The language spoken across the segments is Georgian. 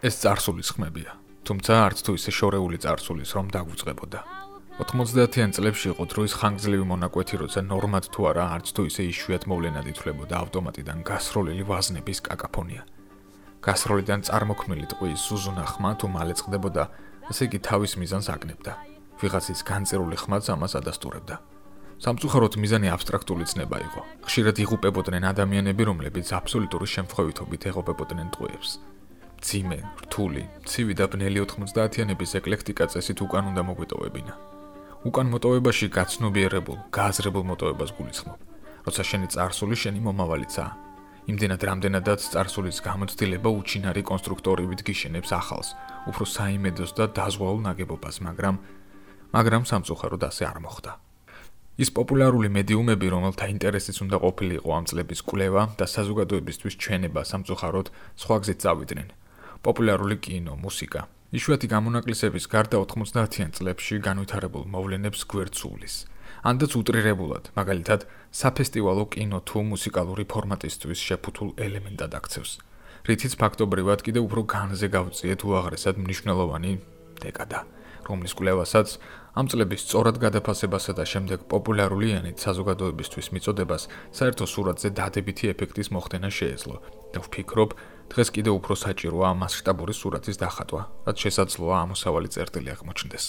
ეს წარსულის ხმებია, თუმცა არც თუ ისე შორეული წარსულის რომ დაგვიწყებოდა. 90-იან წლებში იყო დროის ხანგრძლივი მონაკვეთი, როცა ნორმად თუ არა არც თუ ისე იშვიათ მოვლენად ითვლებოდა ავტომატიდან გასროლილი ვაზნების კაკაფონია. გასროლიდან წარმოქმნილი ტყვის სუზუნა ხმა თუ მალე წყდებოდა, ასე იგი თავის მიზანს აკნებდა. ვიღაცის განწერული ხმაც ამას ადასტურებდა. სამწუხაროდ მიზანი აბსტრაქტული ცნება იყო. ხშირად იღუპებოდნენ ადამიანები, რომლებიც აბსოლუტური შემთხვევითობით ეღობებოდნენ ტყვეებს. ძიმე, რთული, ცივი და ბნელი 90-იანების ეკლექტიკა წესით უკან უნდა მოგვიტოვებინა. უკან მოტოვებაში გაცნობიერებულ, გააზრებულ მოტოვებას გულისხმობ. როცა შენი წარსული შენი მომავალიცაა. იმდენად რამდენადაც წარსულის გამოცდილება უჩინარი კონსტრუქტორივით გიშენებს ახალს, უფრო საიმედოს და დაზღვეულ ნაგებობას, მაგრამ სამწუხაროდ ასე არ მოხდა. ის პოპულარული მედიუმები, რომელთა ინტერესიც უნდა ყოფილიყო ამ წლების კვლევა და საზოგადოებისთვის ჩვენება, სამწუხაროდ სხვა გზით წავიდნენ. პოპულარული კინო, მუსიკა. იშვიათი გამონაკლისების გარდა 90-იან წლებში განვითარებულ მოვლენებს გვერდს უვლის. ანდაც უტრირებულად, მაგალითად, საფესტივალო კინო თუ მუსიკალური ფორმატისთვის შეფუთულ ელემენტად აქცევს. რითიც ფაქტობრივად კიდევ უფრო განზე გავწიეთ უაღრესად მნიშვნელოვანი დეკადა, რომლის კვლევასაც ამ წლების სწორად გადაფასებასა და შემდეგ პოპულარული ენით საზოგადოებისთვის მიწოდებას საერთო სურათზე დადებითი ეფექტის მოხდენა შეეძლო და ვფიქრობ, დღეს კიდევ უფრო საჭიროა მასშტაბური სურათის დახატვა, რაც შესაძლოა ამოსავალი წერტილი აღმოჩნდეს.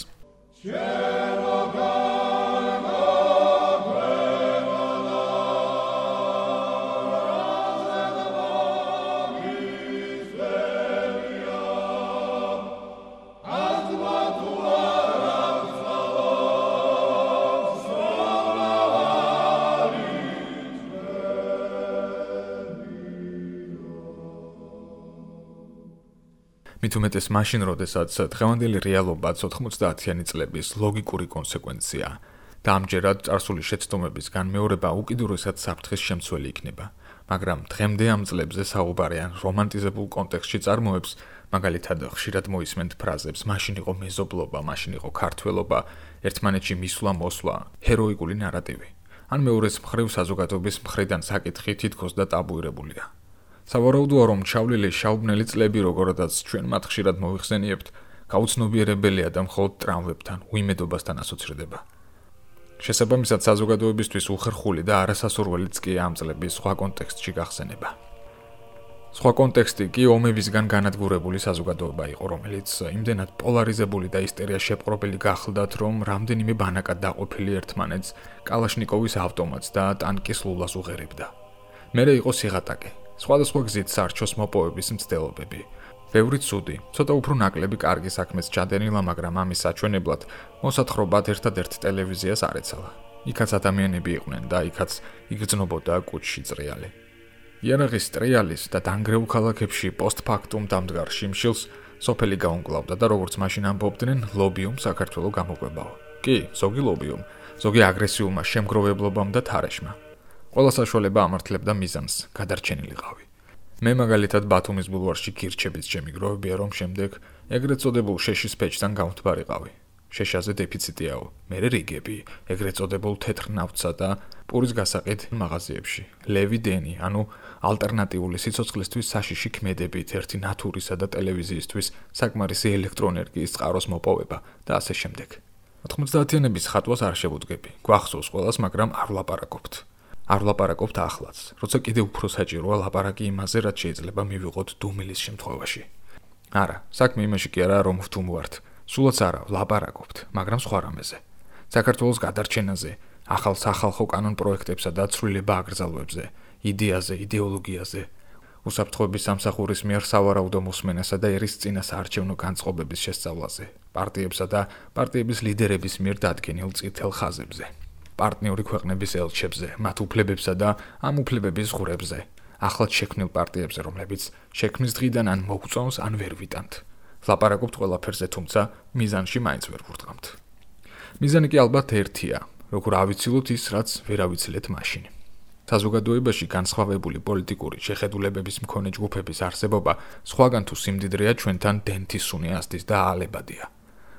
მით უმეტეს მაშინ, როდესაც დღევანდელი რეალობაც 90-იანი წლების ლოგიკური კონსეკვენციაა და ამჯერად წარსული შეცდომების განმეორება უკიდურესად საფრთხის შემცველი იქნება. მაგრამ დღემდე ამ წლებზე საუბარი ან რომანტიზებულ კონტექსტში წარმოებს, მაგალითად ხშირად მოისმენთ ფრაზებს მაშინ იყო მეზობლობა, მაშინ იყო ქართველობა, ერთმანეთში მისვლა-მოსვლა, ჰეროიკული ნარატივი. ან მეორეს მხრივ საზოგადოების მხრიდან საკითხი თითქოს და ტაბუირებულია. სავარაუდოა, რომ ჩავლილი შავბნელი წლები, როგორადაც ჩვენ მათ ხშირად მოიხსენიებთ, გაუცნობიერებელია და მხოლოდ ტრამვებთან, უიმედობასთან ასოცირდება. შესაბამისად, საზოგადოებისთვის უხერხული და არასასურველიც კი ამ წლების სხვა კონტექსტში გახსენება. სხვა კონტექსტი კი ომებისგან განადგურებული საზოგადოება იყო, რომელიც იმდენად პოლარიზებული და ისტერია შეპყრობილი გახლდათ, რომ რამდენიმე ბანაკად დაყოფილი ერთმანეთს კალაშნიკოვის ავტომატს და ტანკის ლულას უღერებდა. მერე იყო სიღატაკე. სხვადასხვა გზით სარჩოს მოპოვების მცდელობები. ბევრი ცუდი, ცოტა უფრო ნაკლები კარგი საქმეს ჩადენილა, მაგრამ ამის საჩვენებლად მოსათხრობად ერთადერთ ტელევიზიას არ ეცალა. იქაც ადამიანები იყვნენ და იქაც იგრძნობოდა კუჩში წრიალი. იარაღის ტრიალის და დანგრეულ ქალაქებში პოსტფაქტუმ დამდგარ შიმშილს სოფელი გაუმკლავდა და როგორც მაშინ ამბობდნენ, ლობიუმ საქართველო გამოყვებაო. კი, ზოგი ლობიუმ, ზოგი აგრესიულმა შემგროვებლობამ და თარეშმა. ყველა საშუალება ამართლებდა მიზანს, გადარჩენილიყავი. მე მაგალითად ბათუმის ბულვარში გირჩებით შემიგროვებია, რომ შემდეგ ეგრეთ წოდებულ შეშის პეჭთან გამთბარიყავი. შეშაზე დეფიციტიაო, მერე რიგები, ეგრეთ წოდებულ თეთრ ნავთსა და პურის გასაყიდ მაღაზიებში. ლევი დენი, ანუ ალტერნატიული სიცოცხლისთვის საშიში ქმედებით, ერთი ნატურისა და ტელევიზიისთვის საკმარისი ელექტროენერგიის წყაროს მოპოვება და ასე შემდეგ. 90-იანების ხატვას არ შევუდგები, გვახსოვს ყველას, მაგრამ არ ვლაპარაკობთ. არ ვლაპარაკობთ ახლაც, როცა კიდევ უფრო საჭიროა ლაპარაკი იმაზე, რაც შეიძლება მივიღოთ დუმილის შემთხვევაში. არა, საქმე იმაში კი არა, რომ ვთუმვართ. სულაც არა, ვლაპარაკობთ, მაგრამ სხვა რამეზე. საქართველოს გადარჩენაზე, ახალ სახალხო კანონ პროექტებსა და ცვლილება აკრძალვებზე, იდეაზე, იდეოლოგიაზე, უსაფრთხოების სამსახურის მიერ სავარაუდო მოსმენასა და ერისწინა საარჩევნო განწყობების შესწავლაზე, პარტიებსა და პარტიების ლიდერების მიერ დადგენილ წითელ ხაზებზე. პარტნიორი ქვეყნების ელჩებზე, მათ უფლებებსა და ამ უფლებების ღურებზე, ახლად შექმნილ პარტიებზე, რომლებიც შექმნის დღიდან ან მოგწონს, ან ვერ ვიტანთ. ვლაპარაკობთ ყველაფერზე, თუმცა მიზანში მაინც ვერ ვურტყამთ. მიზანი კი ალბათ ერთია, როგორ ავიცილოთ ის, რაც ვერ ავიცილეთ მაშინ. საზოგადოებაში განსხვავებული პოლიტიკური შეხედულებების მქონე ჯგუფების არსებობა სხვაგან თუ სიმდიდრეა ჩვენთან დენთისუნი ასდის და აალებადია.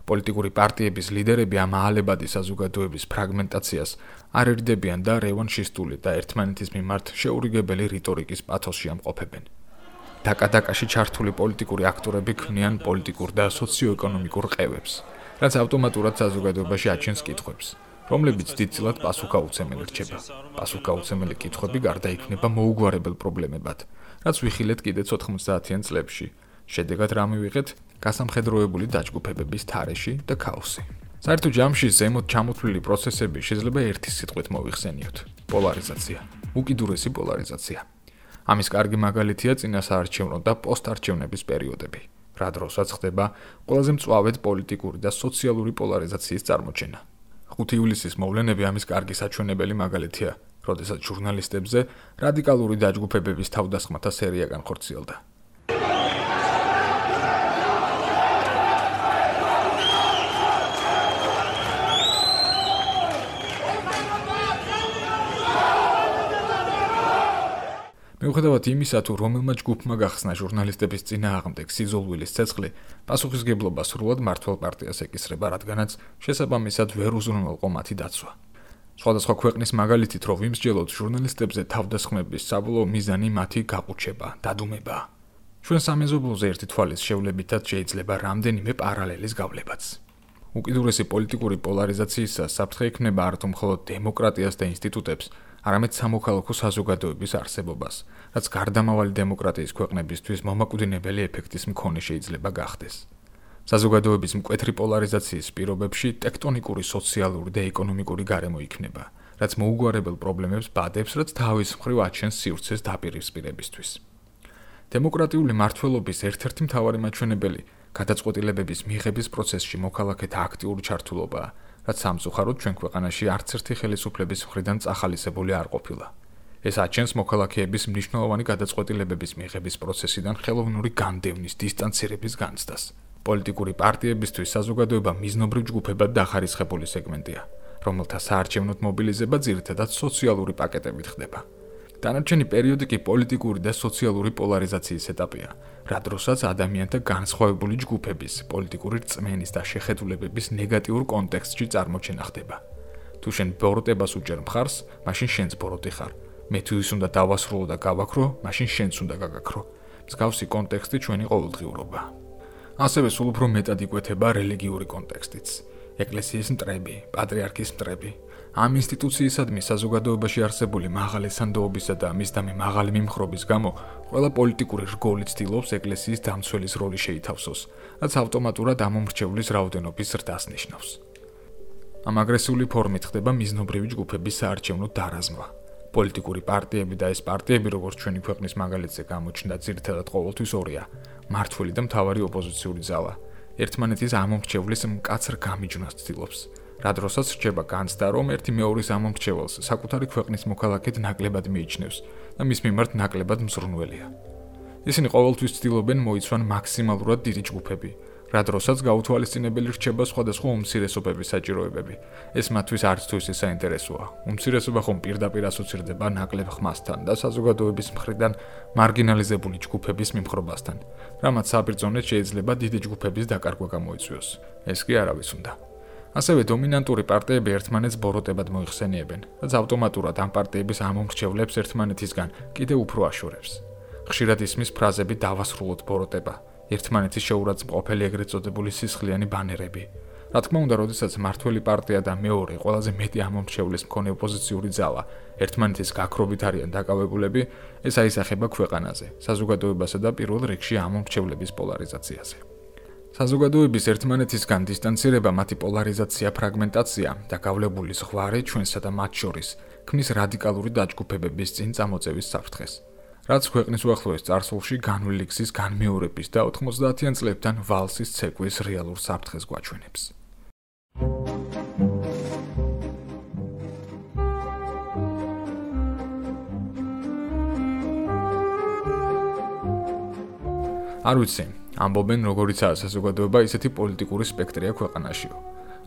პოლიტიკური პარტიების ლიდერები ამ აალებადი საზოგადოების ფრაგმენტაციას არ ერდებიან და რევანშისტული და ერთმანეთის მიმართ შეურიგებელი რიტორიკის პათოსში ამყოფებენ. დაკადაკაში ჩართული პოლიტიკური აქტორები ქმნიან პოლიტიკურ და სოციო-ეკონომიკურ ყევებს, რაც ავტომატურად საზოგადოებაში აჩენს კითხვებს, რომლებიც დიდწილად პასუხგაუცემელი რჩება. პასუხგაუცემელი კითხვები გარდაიქმნება მოუგვარებელ პრობლემებად, რაც ვიხილეთ კიდეც 90-იან წლებში. შედეგად რა მივიღეთ? გასამხედროებული დაჯგუფებების თარეში და ქაოსი. საერთო ჯამში ზემოთ ჩამოთვლილი პროცესები შეიძლება ერთი სიტყვით მოვიხსენიოთ: პოლარიზაცია, უკიდურესი პოლარიზაცია. ამის კარგი მაგალითია წინასაარჩევნო და პოსტარჩევნების პერიოდები, რა დროსაც ხდება ყველაზე მწვავედ პოლიტიკური და სოციალური პოლარიზაციის წარმოჩენა. 5 ივლისის მოვლენები ამის კარგი საჩვენებელი მაგალითია, როდესაც ჟურნალისტებზე რადიკალური დაჯგუფებების თავდასხმათა სერია განხორციელდა. მიუხედავად იმისა, თუ რომელმა ჯგუფმა გახსნა ჟურნალისტების წინააღმდეგ სიძულვილის ცეცხლი, პასუხისგებლობა სრულად მმართველ პარტიას ეკისრება, რადგანაც შესაბამისად ვერ უზრუნველყო მათი დაცვა. სხვადასხვა ქვეყნის მაგალითით რო ვიმსჯელოთ, ჟურნალისტებზე თავდასხმების საბოლოო მიზანი მათი გაყუჩება, დადუმება. ჩვენ სამეზობლოზე ერთი თვალის შევლებითაც შეიძლება რამდენიმე პარალელის გავლებაც. უკიდურესი პოლიტიკური პოლარიზაციისას საფრთხე იქნება არათუ მხოლოდ დემოკრატიას და ინსტიტუტებს, არამედ სამოქალაქო საზოგადოების არსებობას, რაც გარდამავალი დემოკრატიის ქვეყნებისთვის მომაკვდინებელი ეფექტის მქონე შეიძლება გახდეს. საზოგადოების მკვეთრი პოლარიზაციის პირობებში ტექტონიკური სოციალური და ეკონომიკური გარემო იქნება, რაც მოუგვარებელ პრობლემებს ბადებს, რაც თავის მხრივ აჩენს სივრცეს დაპირისპირებისთვის. დემოკრატიული მმართველობის ერთ-ერთი მთავარი მაჩვენებელი გადაწყვეტილებების მიღების პროცესში მოქალაქეთა აქტიური ჩართულობაა, რაც სამწუხაროდ ჩვენ ქვეყანაში არც ერთი ხელისუფლების მხრიდან წახალისებული არ ყოფილა. ეს აჩენს მოქალაქეების მნიშვნელოვანი გადაწყვეტილებების მიღების პროცესიდან ხელოვნური განდევნის, დისტანცირების განცდას. პოლიტიკური პარტიებისთვის საზოგადოება მიზნობრივ ჯგუფებად დახარისხებული სეგმენტია, რომელთა საარჩევნოდ მობილიზება ძირითადად სოციალური პაკეტებით ხდება. დანარჩენი პერიოდი კი პოლიტიკური და სოციალური პოლარიზაციის ეტაპია, რა დროსაც ადამიანთა განსხვავებული ჯგუფების, პოლიტიკური რწმენის და შეხედულებების ნეგატიურ კონტექსტში წარმოჩენა ხდება. თუ შენ ბოროტებას უჭერ მხარს, მაშინ შენც ბოროტი ხარ. მე თუ ის უნდა დავასრულო და გავაქრო, მაშინ შენც უნდა გაგაქრო. მსგავსი კონტექსტი ჩვენი ყოველდღიურობა. ასევე სულ უფრო მეტად იკვეთება რელიგიური კონტექსტიც. ეკლესიის მტრები, პატრიარქის მტრები. ამ ინსტიტუციისადმი საზოგადოებაში არსებული მაღალი სანდოობისა და მისდამი მაღალი მიმხრობის გამო ყველა პოლიტიკური რგოლი ცდილობს ეკლესიის დამცველის როლი შეითავსოს, რაც ავტომატურად ამომრჩევლის რაოდენობის ზრდას ნიშნავს. ამ აგრესიული ფორმით ხდება მიზნობრივი ჯგუფების საარჩევნო დარაზმვა. პოლიტიკური პარტიები და ეს პარტიები, როგორც ჩვენი ქვეყნის მაგალითზე გამოჩნდა, ძირითადად ყოველთვის ორია: მმართველი და მთავარი ოპოზიციური ძალა. ერთმანეთის ამომრჩევლის მკაცრ გამიჯვნას ცდილობს. რა დროსაც რჩება განცდა, რომ ერთი მეორის ამომრჩეველს საკუთარი ქვეყნის მოქალაქედ ნაკლებად მიიჩნევს და მის მიმართ ნაკლებად მზრუნველია. ისინი ყოველთვის ცდილობენ მოიცვან მაქსიმალურად დიდი ჯგუფები, რა დროსაც გაუთვალისწინებელი რჩება სხვადასხვა უმცირესობების საჭიროებები. ეს მათთვის არც თუ ისე საინტერესოა. უმცირესობა ხომ პირდაპირ ასოცირდება ნაკლებ ხმასთან და საზოგადოების მხრიდან მარგინალიზებული ჯგუფების მიმხრობასთან, რამაც საბრძოლოდ შეიძლება დიდი ჯგუფების დაკარგვა გამოიწვიოს. ეს კი არავის უნდა. ასევე დომინანტური პარტიები ერთმანეთს ბოროტებად მოიხსენიებენ, რაც ავტომატურად ამ პარტიების ამომრჩევლებს ერთმანეთისგან კიდევ უფრო აშორებს. ხშირად ისმის ფრაზები დავასრულოთ ბოროტება, ერთმანეთის შეურაცხმყოფელი ეგრეთ წოდებული სისხლიანი ბანერები. რა თქმა უნდა, როდესაც მმართველი პარტია და მეორე ყველაზე მეტი ამომრჩევლის მქონე ოპოზიციური ძალა ერთმანეთის გაქრობით არიან დაკავებულები, ეს აისახება ქვეყანაზე, საზოგადოებასა და პირველ რიგში ამომრჩევლების პოლარიზაციაზე. საზოგადოების ერთმანეთისგან დისტანცირება, მათი პოლარიზაცია, ფრაგმენტაცია და გავლებული ზღვარი ჩვენსა და მათ შორის ქმნის რადიკალური დაჯგუფებების წინ წამოწევის საფრთხეს, რაც ქვეყნის უახლოეს წარსულში განვლილი გზის განმეორების და 90-იან წლებთან ვალსის ცეკვის რეალურ საფრთხეს გვაჩვენებს. არ ვიცი, ამბობენ, როგორიცაა საზოგადოება, ისეთი პოლიტიკური სპექტრია ქვეყანაშიო.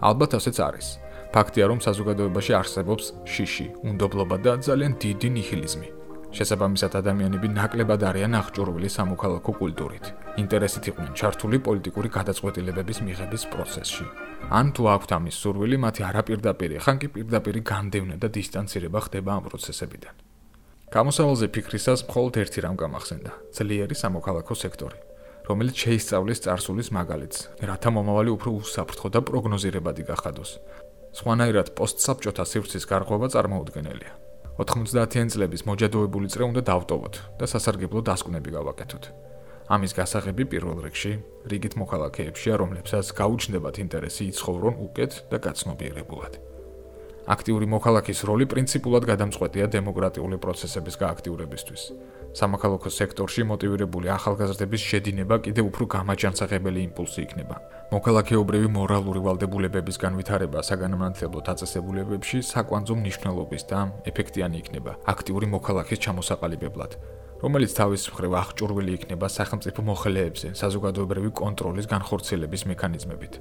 ალბათ ასეც არის. ფაქტია, რომ საზოგადოებაში არსებობს შიში, უნდობლობა და ძალიან დიდი ნიჰილიზმი. შესაბამისად, ადამიანები ნაკლებად არიან აღჭურვილი სამოქალაქო კულტურით. ინტერესით იყვნენ ჩართული პოლიტიკური გადაწყვეტილებების მიღების პროცესში. ან თუ აქვთ ამის სურვილი, მათი არაპირდაპირი, ხან კი პირდაპირი განდევნა და დისტანცირება ხდება ამ პროცესებიდან. გამოსავალზე ფიქრისას მხოლოდ ერთი რამ გამახსენდა: ძლიერი სამოქალაქო სექტორი, რომელიც შეისწავლის წარსულის მაგალითს, რათა მომავალი უფრო უსაფრთხო და პროგნოზირებადი გახადოს. სხვანაირად პოსტსაბჭოთა სივრცის გარღვევა წარმოუდგენელია. 90-იან წლების მოჯადოებული წრე უნდა დავტოვოთ და სასარგებლო დასკვნები გავაკეთოთ. ამის გასაღები პირველ რიგში რიგით მოქალაქეებშია, რომლებსაც გაუჩნდებათ ინტერესი იცხოვრონ უკეთ და გაცნობიერებულად. აქტიური მოქალაქის როლი პრინციპულად გადამწყვეტია დემოკრატიული პროცესების გააქტიურებისთვის. სამოქალაქო სექტორში მოტივირებული ახალგაზრდების შედინება კიდევ უფრო გამაჯანსაღებელი იმპულსი იქნება. მოქალაქეობრივი მორალური ვალდებულებების განვითარება საგანმანათლებლო დაწესებულებებში საკვანძო მნიშვნელობის და ეფექტიანი იქნება აქტიური მოქალაქის ჩამოსაყალიბებლად, რომელიც თავის მხრივ აღჭურვილი იქნება სახელმწიფო მოხელეებზე საზოგადოებრივი კონტროლის განხორციელების მექანიზმებით.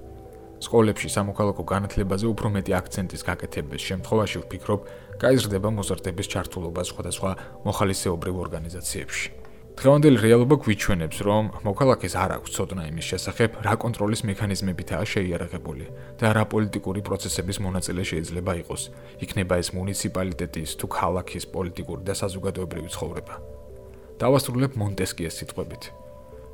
სკოლებში სამოქალაქო განათლებაზე უფრო მეტი აქცენტის გაკეთების შემთხვევაში ვფიქრობ, გაიზრდება მოზარდების ჩართულობა სხვადასხვა მოხალისეობრივ ორგანიზაციებში. დღევანდელი რეალობა გვიჩვენებს, რომ მოქალაქეს არ აქვს ცოდნა იმის შესახებ, რა კონტროლის მექანიზმებითაა შეიარაღებული და რა პოლიტიკური პროცესების მონაწილე შეიძლება იყოს, იქნება ეს მუნიციპალიტეტის თუ ქალაქის პოლიტიკური და საზოგადოებრივი ცხოვრება. დავასრულებ მონტესკიეს სიტყვებით: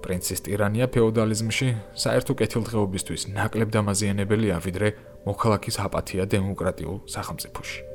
პრინცის ტირანია ფეოდალიზმში საერთო კეთილდღეობისთვის ნაკლებ დამაზიანებელია, ვიდრე მოქალაქის აპათია დემოკრატიულ სახელმწიფოში.